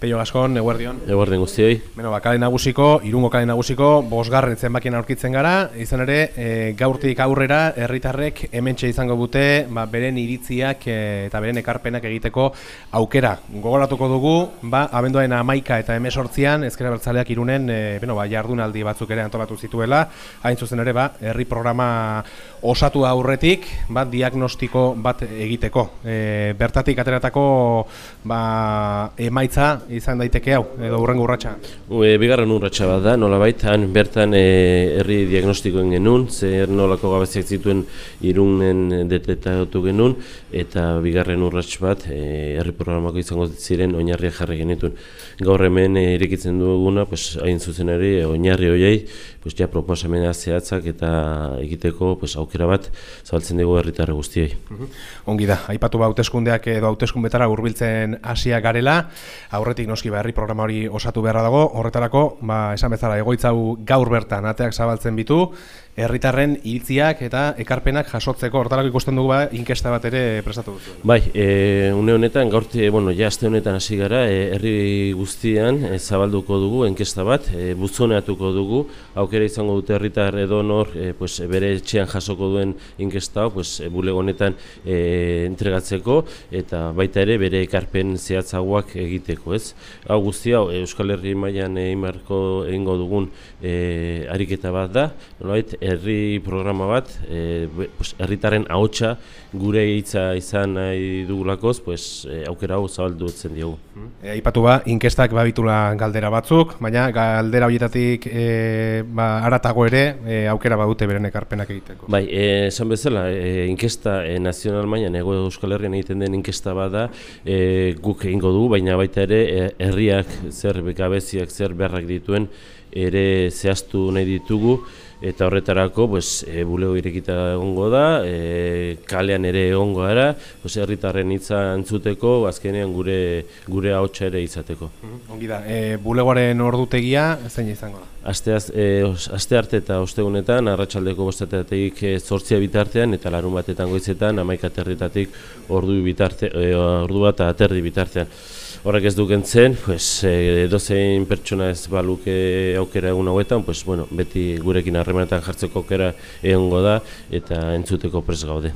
Peio Gaskon, eguerdion. Eguerdion guztioi. Kale nagusiko, Irungo kale nagusiko, 5. zenbakien aurkitzen gara, izan ere, gaurtik aurrera, herritarrek hementxe izango dute, beren iritziak eta beren ekarpenak egiteko aukera. Gogoratuko dugu, abenduaren 11 eta 18an, Ezker Abertzaleak Irunen, jardunaldi batzuk ere antolatu zituela, hain zuzen ere, herri programa osatu aurretik, diagnostiko bat egiteko. Bertatik ateratako emaitza izan daiteke hau, edo hurrengo urratsa? Bigarren urratsa bat da, nolabait, han bertan herri diagnostikoen genuen, zer nolako gabeziak zituen Irunen detetatu genuen, eta bigarren urrats bat herri programako izango ziren oinarriak jarri genituen. Gaur hemen irekitzen duguna, hain zuzen ere, oinarri horiei, proposamena zehatzak eta egiteko aukera bat zabaltzen dugu herritarre guztiei. Ongi da, aipatu hauteskundeak edo hauteskundetara hurbiltzen hasiak garela, aurretik noski herri programa hori osatu beharra dago, horretarako, esan bezala, egoitza hau gaur bertan ateak zabaltzen bitu, herritarren iritziak eta ekarpenak jasotzeko, horretarako ikusten dugu inkesta bat ere prestatu duzu. Bai, une honetan, aste honetan hasi gara, herri guztian zabalduko dugu inkesta bat, buzoneatuko dugu, aukera izango dute herritar edo nor bere etxean jasoko duen inkesta hau, bulego honetan entregatzeko, eta baita ere bere ekarpen zehatzagoak egiteko, ez? Hau guztia, Euskal Herri mailan egingo dugun ariketa bat da, nolabait, herri programa bat, herritarren ahotsa gure hitza izan nahi dugulakoz, aukera hau zabaldutzen diogu. Aipatu inkestak babitula galdera batzuk, baina galdera horietatik haratago ere aukera badute beren ekarpenak egiteko. Bai, esan bezala, inkesta nazional mailan Hego Euskal Herrian egiten den inkesta bat da, guk egingo dugu, baina baita ere herriak zer gabeziak zer beharrak dituen ere zehaztu nahi ditugu, eta horretarako bulego irekita egongo da, kalean ere egongo gara, herritarren hitza entzuteko, azkenean gure ahotsa ere izateko. Ongi da, bulegoaren ordutegia zein izango da? Aste arte eta ostegunetan, arratsaldeko 7:00-tik 8:00 bitartean, eta larun batetan goizetan 11:00-tik ordu bat eta terdi bitartean. Horrek ez dukentzen, edozein pertsona ez baluke aukera egun hauetan, beti gurekin harremanetan jartzeko aukera egongo da eta entzuteko prest gaude.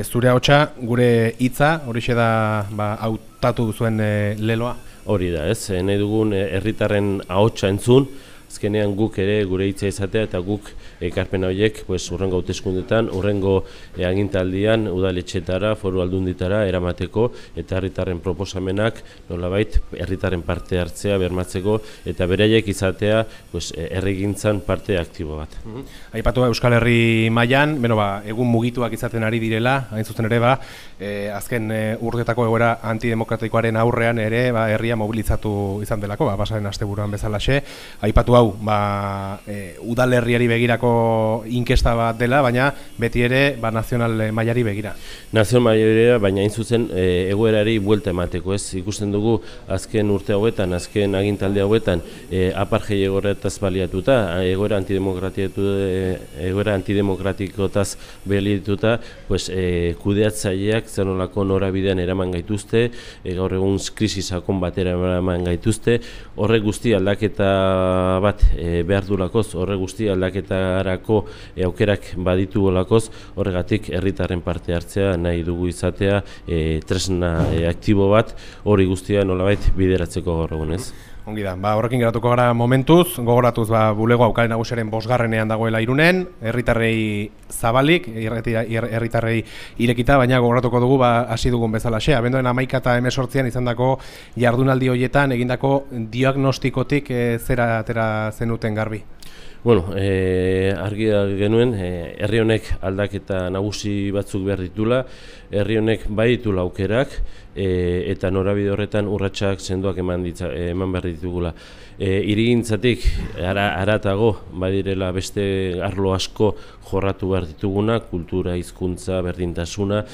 Zure ahotsa, gure hitza, horixe da hautatu zuen leloa? Hori da, ez? Nahi dugun herritarren ahotsa entzun, azkenean guk ere gure hitza izatea eta guk ekarpen horiek hurrengo hauteskundetan, hurrengo agintaldian udaletxetara, foru aldunditara eramateko eta herritarren proposamenak nolabait herritarren parte hartzea bermatzeko eta beraiek izatea herrigintzan parte aktibo bat. Aipatu Euskal Herri mailan, egun mugituak izaten ari direla, hain zuzen ere azken urteetako egoera antidemokratikoaren aurrean ere herria mobilizatu izan delako, pasaren asteburuan bezalaxe. Aipatu hau, udalerriari begirako inkesta bat dela, baina beti ere nazional mailari begira. Nazional mailari, baina hain zuzen egoerari buelta emateko, ez? Ikusten dugu azken urte hauetan, azken agintaldi hauetan, apartheid egoeretaz baliatuta, egoera antidemokratikoetaz baliatuta, kudeatzaileak zenolako norabidean eraman gaituzte, gaur egun krisi sakon batera eraman gaituzte, horrek guzti aldaketa bat behar dulakoz, horrek guzti aldaketarako aukerak baditu golakoz, horregatik herritarren parte hartzea nahi dugu izatea tresna aktibo bat, hori guztia nolabait bideratzeko gaur egun, ez? Ongi da, horrekin geratuko gara momentuz, gogoratuz bulego kale nagusiaren 5. dagoela Irunen, herritarrei zabalik, herritarrei irekita, baina gogoratuko dugu hasi dugun bezalaxe. Abenduaren 11 eta 18an izandako jardunaldi horietan egindako diagnostikotik zera atera zenuten garbi? Argi genuen, herri honek aldaketa nagusi batzuk behar ditula, herri honek bai ditula aukerak, eta norabide horretan urratsak sendoak eman behar ditugula. Hirigintzatik haratago badirela beste arlo asko jorratu behar dituguna, kultura, hizkuntza, berdintasuna,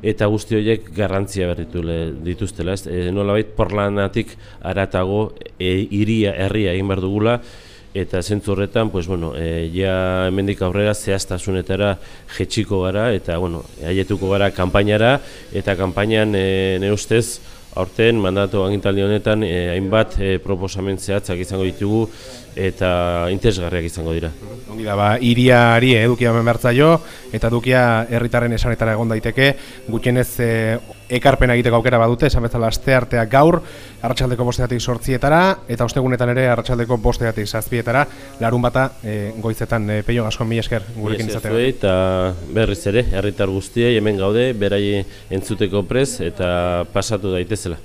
eta guzti horiek garrantzia behar dituztela. Nolabait porlanatik haratago herria egin behar dugula, eta zentzu horretan, ja hemendik aurrera zehaztasunetara jetxiko gara, eta haietuko gara kanpainara, eta kanpainan nire ustez aurten mandatu agintaldi honetan hainbat proposamen zehatzak izango ditugu eta interesgarriak izango dira. Ongi da, hiriari edukia hemen bertzaio eta edukia herritarren esanetara egon daiteke, gutxienez ekarpena egiteko aukera badute, esan bezala asteartea gaur, arratsaldeko 5:00 zortzietara, eta ostegunetan ere arratsaldeko 5:00 zazpietara, larunbata goizetan. Peio, asko mila esker gurekin izatea. Eta berriz ere, herritar guztiei hemen gaude, berai entzuteko prez eta pasatu daitezela.